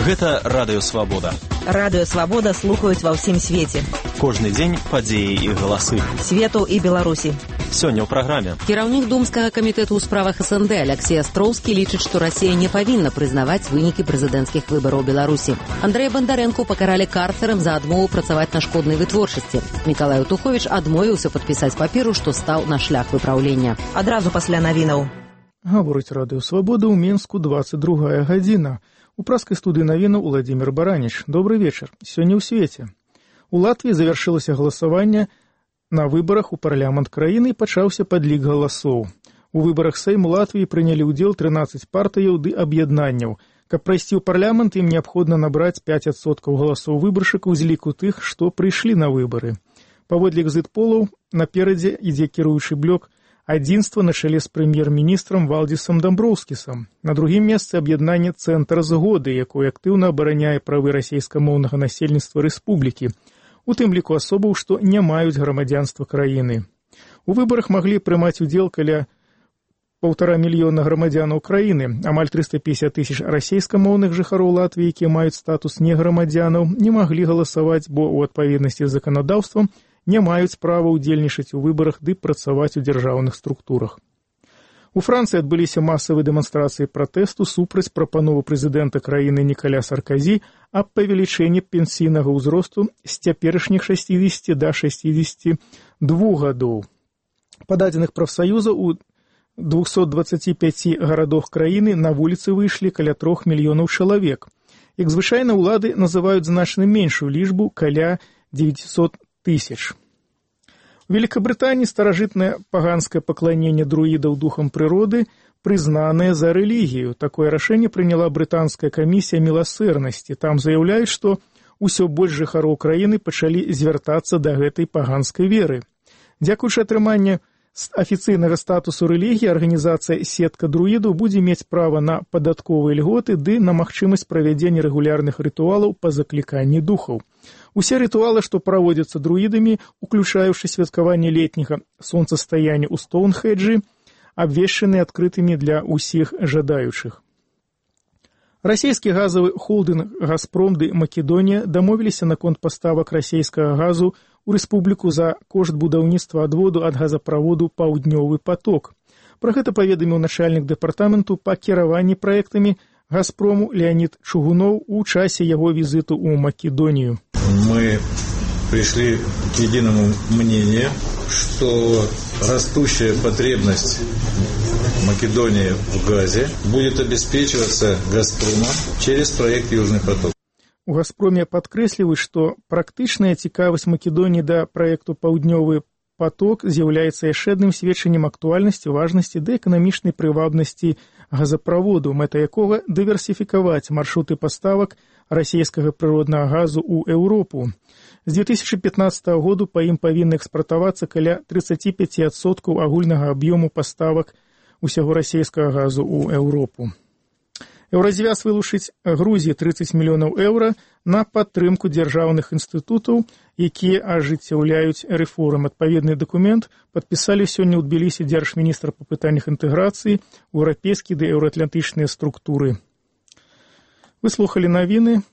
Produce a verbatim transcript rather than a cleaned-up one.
Гэта Радыё Свабода. Радыё Свабода слухаюць ва ўсім свеце. Кожны дзень падзеі і галасы. Свету і Беларусі. Сёння ў праграме. Кіраўнік Думскага камітэту ў справах СНД Алексей Астроўскі лічыць, што Расія не павінна прызнаваць вынікі прэзідэнцкіх выбараў Беларусі. Андрэя Бандарэнку пакаралі карцерам за адмову працаваць на шкоднай вытворчасці. Мікалай Утуховіч адмовіўся падпісаць паперу, што стаў на шлях выпраўлення. Адразу пасля навінаў. Гаворыць Радыё Свабода ў Мінску дваццаць другая гадзіна. У праскай студыі навінаў Уладзімір Бараніч. Добрый вечар. Сёння ў свеце. У Латвіі завяршылася галасаванне на выбарах у парламент краіны і пачаўся падлік галасоў. У выбарах Сейму Латвіі прынялі ўдзел трынаццаць партыяў ды аб'яднанняў. Каб прайсці ў парламент, ім неабходна набраць пяць адсоткаў галасоў выбаршчыкаў з ліку тых, што прыйшлі на выбары. Паводле экзіт-полаў наперадзе ідзе кіруючы блок «Адзінства» на чале з прэм'ер-міністрам Валдзісам Дамброўскісам. На другім месцы аб'яднанне «Цэнтр згоды», якое актыўна абараняе правы расейскамоўнага насельніцтва рэспублікі, у тым ліку асобаў, што не маюць грамадзянства краіны. У выбарах маглі прымаць удзел каля паўтара мільёна грамадзянаў краіны. Амаль трыста пятьдесят тысяч расейскамоўных жыхароў Латвіі, якія маюць статус неграмадзянаў, не маглі галасаваць, бо ў адпаведнасці з заканадаўствам не маюць права ўдзельнічаць у выбарах ды працаваць у дзяржаўных структурах. У Францыі адбыліся масавыя дэманстрацыі пратэсту супраць прапановы прэзідэнта краіны Нікаля Сарказі аб павелічэнні пенсійнага ўзросту з цяперашніх шэсцідзесяці да шэсцідзесяці двух гадоў. Па дадзеных прафсаюза у двухсот дваццаці пяці гарадах краіны на вуліцы выйшлі каля трох мільёнаў чалавек. Як звычайна, улады называюць значна меншую лічбу каля дзевяцісот тысяч. У Великабрытаніі старажытнае паганскае пакланенне друідаў духам прыроды прызнанае за рэлігію. Такое рашэнне прыняла брытанская камісія міласэрнасці. Там заяўляюць, што ўсё больш жыхароў краіны пачалі звяртацца да гэтай паганскай веры. Дзякуючы атрыманню афіцыйнага статусу рэлігіі, арганізацыя «Сетка друідаў» будзе мець права на падатковыя льготы ды на магчымасць правядзення рэгулярных рытуалаў па закліканні духаў. Усе рытуалы, што праводзяцца друідамі, уключаючы святкаванне летняга сонцастаяння ў Стоунхеджы, абвешчаны адкрытымі для ўсіх жадаючых. Расійскі газавы холдынг «Газпром» ды «Македонія» дамовіліся наконт паставак расійскага газу ў рэспубліку за кошт будаўніцтва адводу ад газаправоду «Паўднёвы поток». Пра гэта паведаміў начальнік дэпартаменту па кіраванні праектамі «Газпрому» Леонид Чугунов у часе яго візіту ў Македонію. Мы пришли к единому мнению, что растущая потребность Македонии в газе будет обеспечиваться «Газпромом» через проект «Южный поток». У «Газпроме» падкрэсліваюць, што практычная цікавасць Македоніі да праекту «Паўднёвы поток» з'яўляецца яшчэ адным сведчаннем актуальнасці, важнасці ды эканамічнай прывабнасці газаправоду, мэта якога дыверсіфікаваць маршруты паставак расійскага прыроднага газу ў Еўропу. З две тысячи пятнадцатого году па ім павінны экспартавацца каля тридцать пять адсоткаў агульнага аб'ёму паставак усяго расійскага газу ў Еўропу. Еўразвяз вылучыць Грузіі тридцать мільёнаў еўра на падтрымку дзяржаўных інстытутаў, якія ажыццяўляюць рэформы. Адпаведны дакумент падпісалі сёння ў Тбілісі дзяржміністр па пытаннях інтэграцыі, еўрапейскія ды еўраатлантычныя структуры. Вы слухалі навіны.